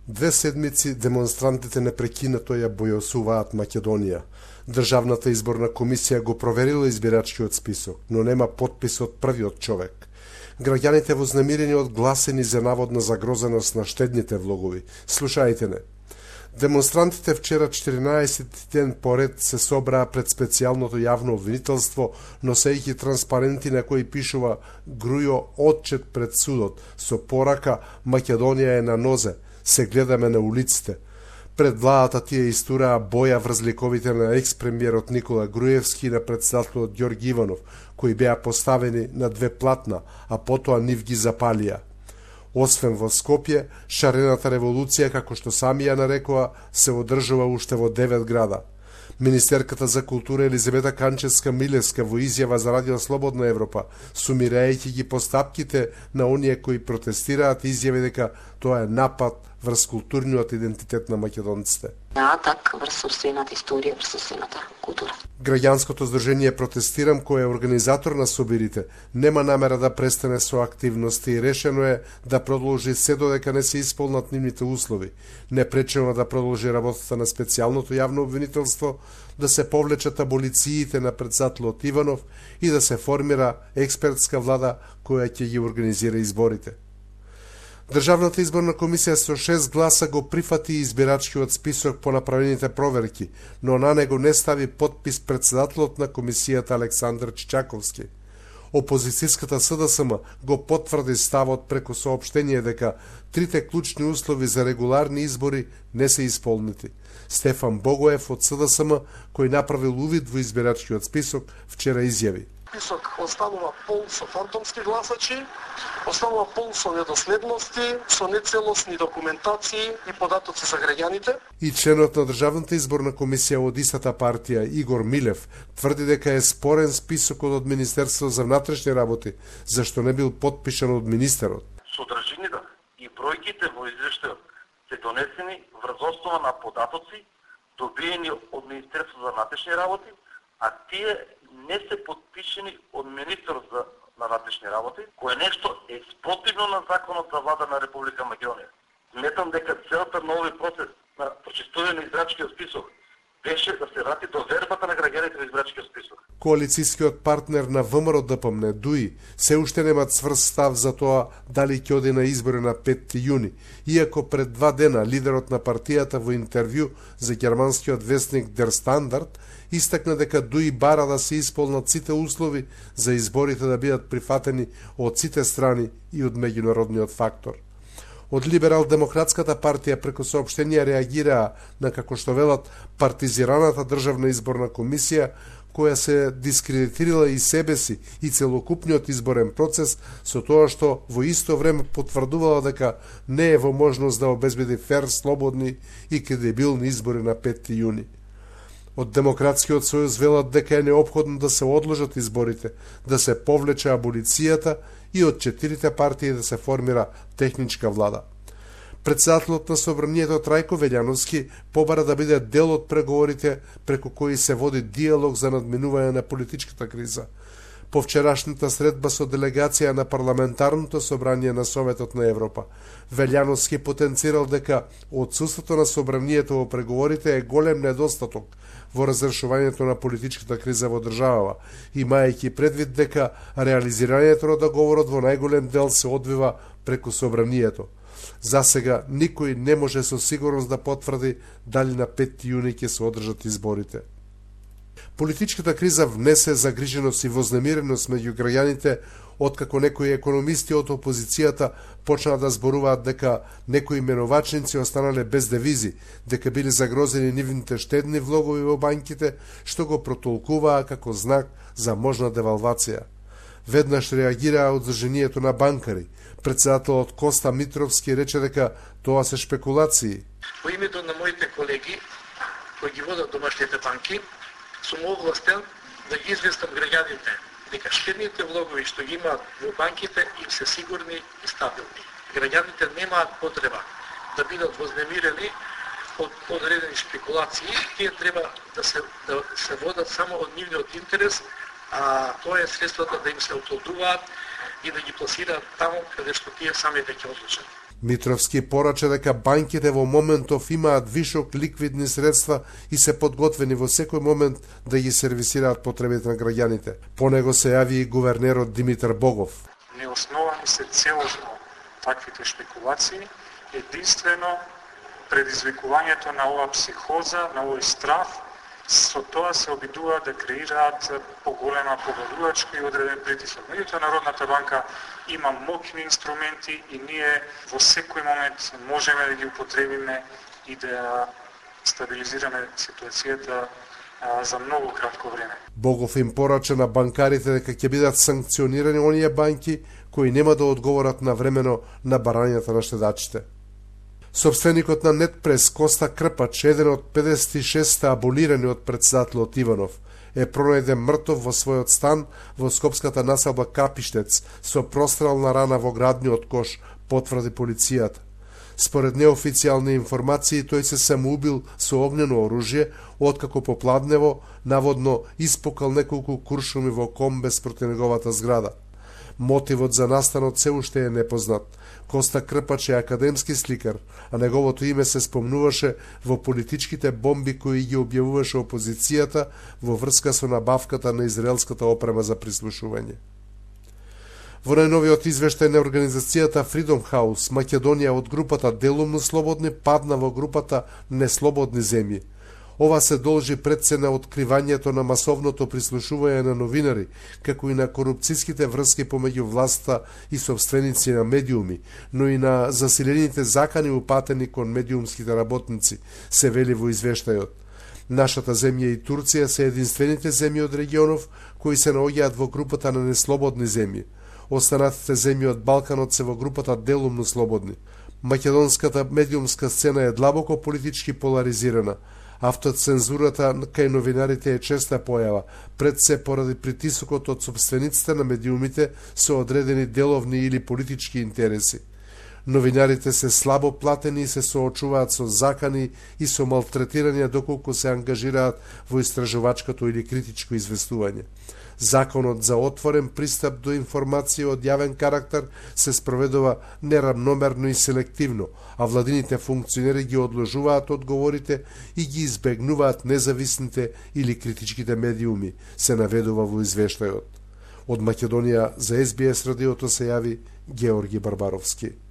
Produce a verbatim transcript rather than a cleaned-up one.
Две седмици демонстрантите непрекинато ја бојосуваат Македонија. Државната изборна комисија го проверила избирачкиот список, но нема потпис од првиот човек. Граѓаните вознемирени од гласени за наводна загрозеност на штедните влогови. Слушајте не. Демонстрантите вчера четиринаесети ден поред се собраа пред специјалното јавно обвинителство, носејќи транспаренти на кои пишува грујо отчет пред судот со порака Македонија е на нозе, се гледаме на улиците. Пред владата тие истураа боја врзликовите на екс-премиерот Никола Груевски и на председателот Ѓорги Иванов, кои беа поставени на две платна, а потоа нив ги запалија. Освен во Скопје, шарената револуција, како што сами ја нарекоа, се одржува уште во девет града. Министерката за култура Елизавета Канчевска-Милевска во изјава за Радио Слободна Европа, сумирајќи ги постапките на оние кои протестираат, изјави дека тоа е напад врз културниот идентитет на македонците. Атак врз сопствената историја, врз сопствената култура. Граѓанското здружение Протестирам, кој е организатор на собирите, нема намера да престане со активности и решено е да продолжи се додека не се исполнат нивните услови. Непречено да продолжи работата на специјалното јавно обвинителство, да се повлечат аболициите на председателот Иванов и да се формира експертска влада која ќе ги организира изборите. Државната изборна комисија со шест гласа го прифати избирачкиот список по направените проверки, но на него не стави подпис председателот на комисијата Александар Чичаковски. Опозицијската СДСМ го потврди ставот преку соопштение дека трите клучни услови за регуларни избори не се исполнети. Стефан Богоев од СДСМ, кој направил увид во избирачкиот список, вчера изјави: Список останува пол со фантомски гласачи, останува пол со недоследности, со нецелосни документации и податоци за граѓаните. И членот на Државната изборна комисија од истата партија Игор Милев тврди дека е спорен списокот од Министерството за внатрешни работи, зашто не бил подпишан од министерот. Содржината и бројките во извештајот се донесени врз основа на податоци добиени од Министерството за внатрешни работи, а тие не се подпишени од министерот за внатрешни работи, кое нешто е спротивно на законот за влада на Република Македонија. Сметам дека целта на овој процес на прочистување на избирачкиот список беше да се врати до вербата на граѓаните во избирачкиот список. Коалицијскиот партнер на ВМРО ДПМНЕ, ДУИ, се уште немаат цврст став за тоа дали ќе оди на избори на петти јуни, иако пред два дена лидерот на партијата во интервју за германскиот вестник Der Standard истакна дека ДУИ бара да се исполнат сите услови за изборите да бидат прифатени од сите страни и од меѓународниот фактор. Од Либерал-демократската партија преку соопштенија реагираа на, како што велат, партизираната државна изборна комисија, која се дискредитирала и себе си и целокупниот изборен процес со тоа што во исто време потврдувала дека не е во можност да обезбеди фер, слободни и кредибилни избори на петти јуни. Од Демократскиот сојуз велат дека е неопходно да се одложат изборите, да се повлече аболицијата и од четирите партии да се формира техничка влада. Председателот на Собранието Трајко Велјановски побара да биде дел од преговорите преку кои се води диалог за надминување на политичката криза. По вчерашната средба со делегација на парламентарното собрание на Советот на Европа, Велјановски потенцирал дека отсуството на собранието во преговорите е голем недостаток во разрешувањето на политичката криза во државава, имајќи предвид дека реализирањето на договорот во најголем дел се одвива преку собранието. За сега никој не може со сигурност да потврди дали на петти јуни ќе се одржат изборите. Политичката криза внесе загриженост и вознемиреност меѓу граѓаните, откако некои економисти од опозицијата почнаа да зборуваат дека некои менувачници останале без девизи, дека били загрозени нивните штедни влогови во банките, што го протолкуваа како знак за можна девалвација. Веднаш реагираа од Сдруженијето на банкари. Председателот Коста Митровски рече дека тоа се шпекулации. Во името на моите колеги кои ги водат домашните банки, сум овластен да ги известам граѓаните дека штедните влогови што ги имаат во банките им се сигурни и стабилни. Граѓаните немаат потреба да бидат вознемирени од одредени шпекулации, тие треба да се да се водат само од нивниот интерес, а тоа е средствата да им се оплодуваат и да ги пласираат таму каде што тие сами веќе одлучат. Митровски порача дека банките во моментов имаат вишок ликвидни средства и се подготвени во секој момент да ги сервисираат потребите на граѓаните. По него се јави и гувернерот Димитар Богов. Неосновани се целосно таквите шпекулации, единствено предизвикувањето на оваа психоза, на овој страх, со тоа се обидуваат да креираат поголема погодувачка и одреден притисок. Меѓутоа Народната банка има моќни инструменти и ние во секој момент можеме да ги употребиме и да стабилизираме ситуацијата а, за многу кратко време. Богов им порача на банкарите дека ќе бидат санкционирани оние банки кои нема да одговорат навремено на барањата на штедачите. Собственикот на Нетпрес Коста Крпач, еден од педесет и шест аболирани од председателот Иванов, е пронајден мртов во својот стан во скопската населба Капиштец со прострелна рана во градниот кош, потврди полицијата. Според неофицијални информации, тој се самоубил со огнено оружје, откако попладнево, наводно испукал неколку куршуми во комбе спроти неговата зграда. Мотивот за настанот се уште е непознат. Коста Крпач е академски сликар, а неговото име се спомнуваше во политичките бомби кои ги објавуваше опозицијата во врска со набавката на израелската опрема за прислушување. Во најновиот извештај на организацијата Freedom House, Македонија од групата делумно слободни падна во групата неслободни земји. Ова се должи пред се на откривањето на масовното прислушување на новинари, како и на корупцијските врски помеѓу власта и собственици на медиуми, но и на засилените закани упатени кон медиумските работници, се вели во извештајот. Нашата земја и Турција се единствените земји од регионов кои се наоѓаат во групата на неслободни земји. Останатите земји од Балканот се во групата делумно слободни. Македонската медиумска сцена е длабоко политички поларизирана. Автоцензурата кај новинарите е честа појава, пред се поради притисокот од собствениците на медиумите со одредени деловни или политички интереси. Новинарите се слабо платени и се соочуваат со закани и со малтретирање доколку се ангажираат во истражувачкото или критичко известување. Законот за отворен пристап до информација од јавен карактер се спроведува неравномерно и селективно, а владините функционери ги одложуваат одговорите и ги избегнуваат независните или критичките медиуми, се наведува во извештајот. Од Македонија за Ес Би Ес радиото се јави Георги Барбаровски.